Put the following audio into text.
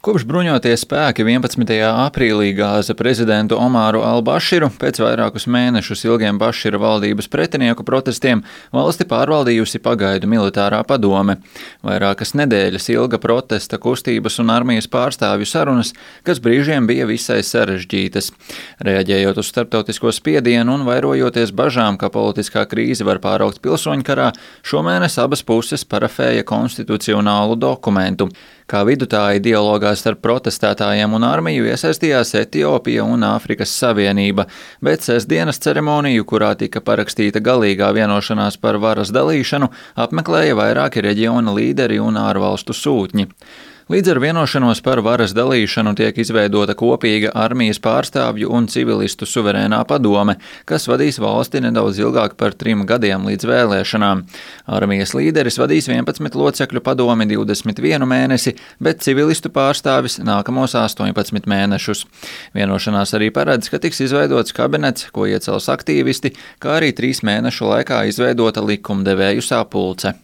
Kopš bruņotie spēki 11. aprīlī gāza prezidentu Omāru al-Baširu pēc vairākus mēnešus ilgiem Bašira valdības pretinieku protestiem valsti pārvaldījusi pagaidu militārā padome. Vairākas nedēļas ilga protesta kustības un armijas pārstāvju sarunas, kas brīžiem bija visai sarežģītas. Reaģējot uz starptautisko spiedienu un vairojoties bažām, ka politiskā krīze var pāraugt pilsoņkarā, šomēnes abas puses parafēja konstitucionālu dokumentu. Kā vidutāji dialogā starp protestētājiem un armiju iesaistījās Etiopija un Āfrikas Savienība, bet sestdienas ceremoniju, kurā tika parakstīta galīgā vienošanās par varas dalīšanu, apmeklēja vairāki reģiona līderi un ārvalstu sūtņi. Līdz ar vienošanos par varas dalīšanu tiek izveidota kopīga armijas pārstāvju un civilistu suverēnā padome, kas vadīs valsti nedaudz ilgāk par 3 gadiem līdz vēlēšanām. Armijas līderis vadīs 11 locekļu padomi 21 mēnesi, bet civilistu pārstāvis nākamos 18 mēnešus. Vienošanās arī paredz, ka tiks izveidots kabinets, ko iecels aktīvisti, kā arī 3 mēnešu laikā izveidota likumdevēju sapulce.